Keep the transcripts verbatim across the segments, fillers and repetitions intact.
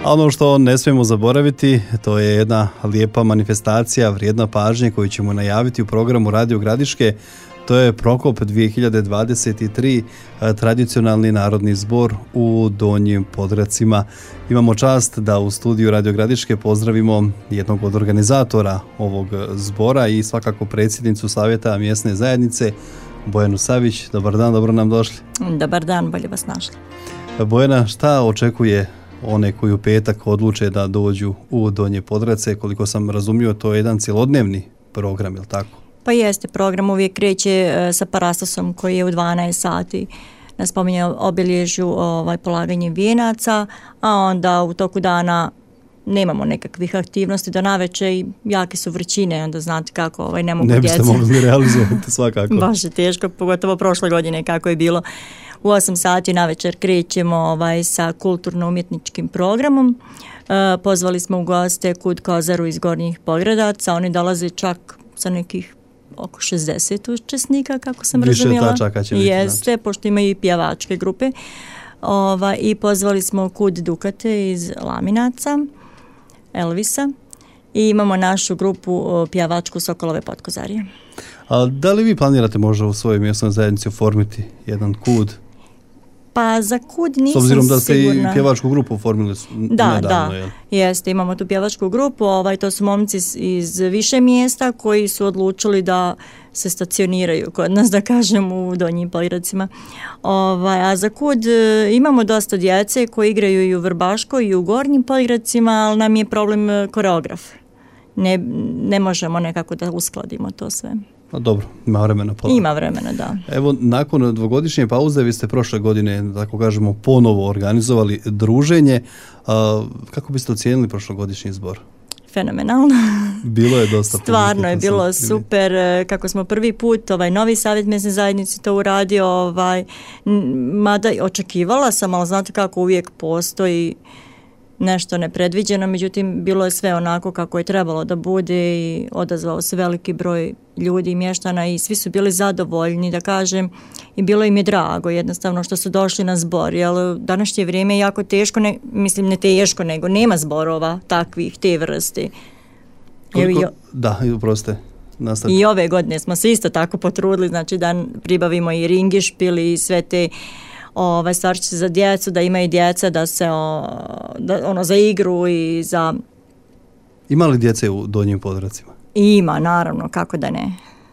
A ono što ne smijemo zaboraviti, to je jedna lijepa manifestacija, vrijedna pažnje koju ćemo najaviti u programu Radio Gradiške. To je Prokop dvije hiljade dvadeset tri, tradicionalni narodni zbor u Donjim Podgracima. Imamo čast da u studiju Radio Gradiške pozdravimo jednog od organizatora ovog zbora i svakako predsjednicu Savjeta mjesne zajednice, Bojanu Savić. Dobar dan, dobro nam došli. Dobar dan, bolje vas našli. Bojana, šta očekuje one koji u petak odluče da dođu u Donje Podgrace? Koliko sam razumio, to je jedan cjelodnevni program, je li tako? Pa jeste, program uvijek kreće sa parastosom koji je u dvanaest sati na spominje obilježju ovaj, polaganje vijenaca, a onda u toku dana nemamo nekakvih aktivnosti do navečer i jake su vrućine, onda znate kako ovaj, ne mogu djeca. Ne biste djeca. mogli realizovati svakako. Baš je teško, pogotovo prošle godine kako je bilo. U osam sati navečer krećemo ovaj, sa kulturno-umjetničkim programom. E, pozvali smo u goste Kud Kozaru iz Gornjih Podgradaca, oni dolaze čak sa nekih oko šezdeset učesnika, kako sam Više razumjela. Više tačaka će biti. Jeste, znači. Pošto imaju i pjevačke grupe. Ova, I pozvali smo Kud Dukate iz Laminaca, Elvisa, i imamo našu grupu pjevačku Sokolove Potkozarije. A da li vi planirate možda u svojoj mjesnoj zajednici oformiti jedan kud? Pa za kud nisam sigurna. S obzirom da ste sigurna. i pjevačku grupu oformili da, nedavno. Da, jel? Jeste, imamo tu pjevačku grupu, ovaj, to su momci iz, iz više mjesta koji su odlučili da se stacioniraju kod nas, da kažem, u Donjim Podgracima. Ovaj, a za kud imamo dosta djece koji igraju i u Vrbaškoj i u Gornjim Podgracima, ali nam je problem koreograf. Ne, ne možemo nekako da uskladimo to sve. A dobro, ima vremena. Pola. Ima vremena, da. Evo, nakon dvogodišnje pauze vi ste prošle godine, tako kažemo, ponovo organizovali druženje. A, kako biste ocijenili prošlogodišnji zbor? Fenomenalno. Bilo je dosta. Stvarno je bilo super, kako smo prvi put ovaj novi savjet mjesne zajednice to uradio, ovaj, mada očekivala sam, ali znate kako uvijek postoji nešto nepredviđeno, međutim bilo je sve onako kako je trebalo da bude i odazvao se veliki broj ljudi i mještana i svi su bili zadovoljni, da kažem, i bilo im je drago jednostavno što su došli na zbor, jer današnje vrijeme je jako teško, ne, mislim ne teško, nego nema zborova takvih, te vrste. Koliko, jo, da, uproste. I ove godine smo se isto tako potrudili, znači da pribavimo i ringišpil i sve te ovaj stvarčice za djecu, da imaju djeca da se o, da, ono za igru i za... Ima li djece u Donjim Podgracima? Ima, naravno, kako da ne.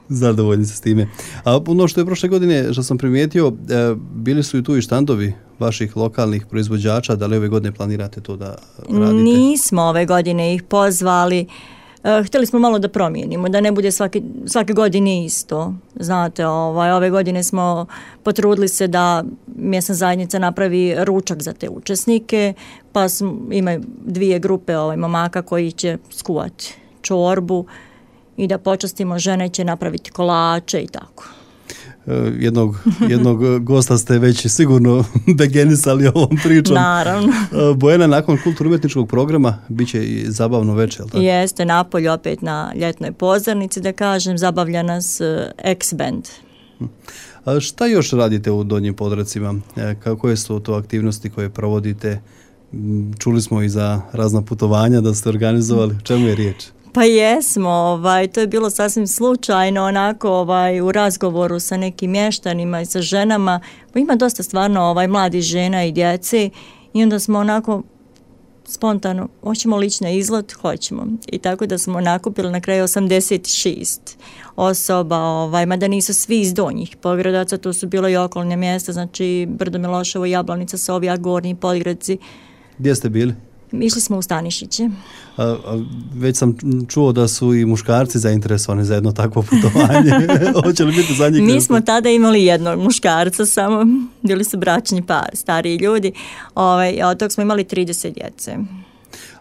Zadovoljni se s time. A ono što je prošle godine, što sam primijetio, e, bili su i tu i štandovi vaših lokalnih proizvođača, da li ove godine planirate to da radite? Nismo ove godine ih pozvali. Uh, htjeli smo malo da promijenimo, da ne bude svake, svake godine isto. Znate, ovaj, ove godine smo potrudili se da mjesna zajednica napravi ručak za te učesnike, pa smo, imaju dvije grupe ovaj, momaka koji će skuvati čorbu i da počastimo žene će napraviti kolače i tako. Jednog, jednog gosta ste već sigurno degenisali ovom pričom. Naravno. Bojana, nakon kulturno-umjetničkog programa bit će i zabavno večer, je li tako? Jeste, napolju opet na ljetnoj pozornici, da kažem, zabavlja nas X-Band. A šta još radite u Donjim Podgracima? Koje su to aktivnosti koje provodite? Čuli smo i za razna putovanja da ste organizovali. O čemu je riječ? Pa jesmo, ovaj, to je bilo sasvim slučajno, onako ovaj, u razgovoru sa nekim mještanima i sa ženama, pa ima dosta stvarno ovaj, mladih žena i djece i onda smo onako spontano, hoćemo li ići na izlet? Hoćemo. I tako da smo nakupili na kraju osamdeset šest osoba, ovaj, mada nisu svi iz Donjih Podgradaca, to su bilo i okolne mjesta, znači Brdo Miloševo, Jablanica, Sovjak, Gornji Podgradci. Gdje ste bili? Išli smo u Stanišiće. A, a, već sam čuo da su i muškarci zainteresovani za jedno takvo putovanje. Hoće li biti za njih? Mi smo tada imali jednog muškarca samo, bili su bračni par, stariji ljudi, ovaj, a od tog smo imali trideset djece.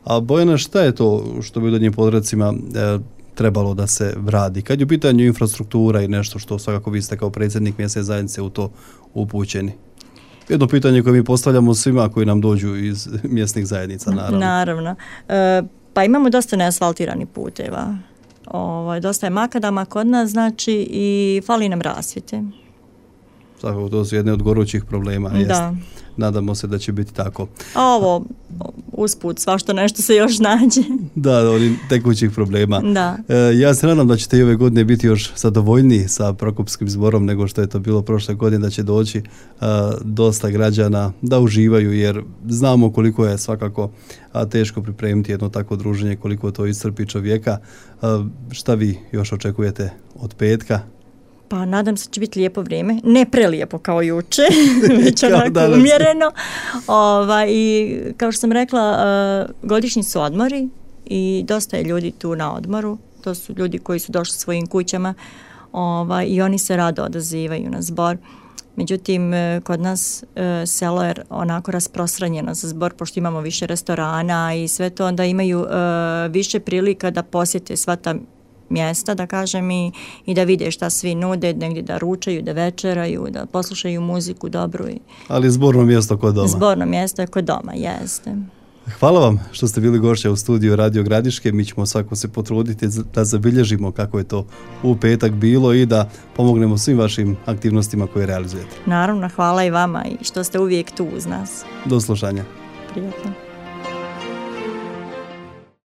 A Bojana, šta je to što bi u Donjim Podgracima e, trebalo da se radi? Kad je u pitanju infrastruktura i nešto što svakako vi ste kao predsjednik mjesne zajednice u to upućeni? Jedno pitanje koje mi postavljamo svima koji nam dođu iz mjesnih zajednica, naravno. Naravno. E, pa imamo dosta neasfaltiranih puteva. Ovo, dosta je makadama kod nas, znači, i fali nam rasvjete. Svakako, to su jedne od gorućih problema. Da. Jest. Nadamo se da će biti tako. A ovo, usput svašta nešto se još nađe. Da, oni tekućih problema. Da. E, ja se nadam da ćete i ove godine biti još zadovoljniji sa Prokopskim zborom nego što je to bilo prošle godine, da će doći a, dosta građana da uživaju, jer znamo koliko je svakako a, teško pripremiti jedno takvo druženje, koliko to iscrpi čovjeka. A, šta vi još očekujete od petka? Pa nadam se da će biti lijepo vrijeme, ne prelijepo kao juče, već onako umjereno. Ova, I kao što sam rekla, uh, godišnji su odmori i dosta je ljudi tu na odmoru. To su ljudi koji su došli svojim kućama ova, i oni se rado odazivaju na zbor. Međutim, kod nas uh, selo je onako rasprostranjeno za zbor, pošto imamo više restorana i sve to, onda imaju uh, više prilika da posjete sva ta mjesta, da kažem, i, i da vide šta svi nude, negdje da ručaju, da večeraju, da poslušaju muziku dobru. I... Ali zborno mjesto kod doma. Zborno mjesto je kod doma, jeste. Hvala vam što ste bili gošća u studiju Radio Gradiške. Mi ćemo svako se potruditi da zabilježimo kako je to u petak bilo i da pomognemo svim vašim aktivnostima koje realizujete. Naravno, hvala i vama i što ste uvijek tu uz nas. Do slušanja. Prijatno.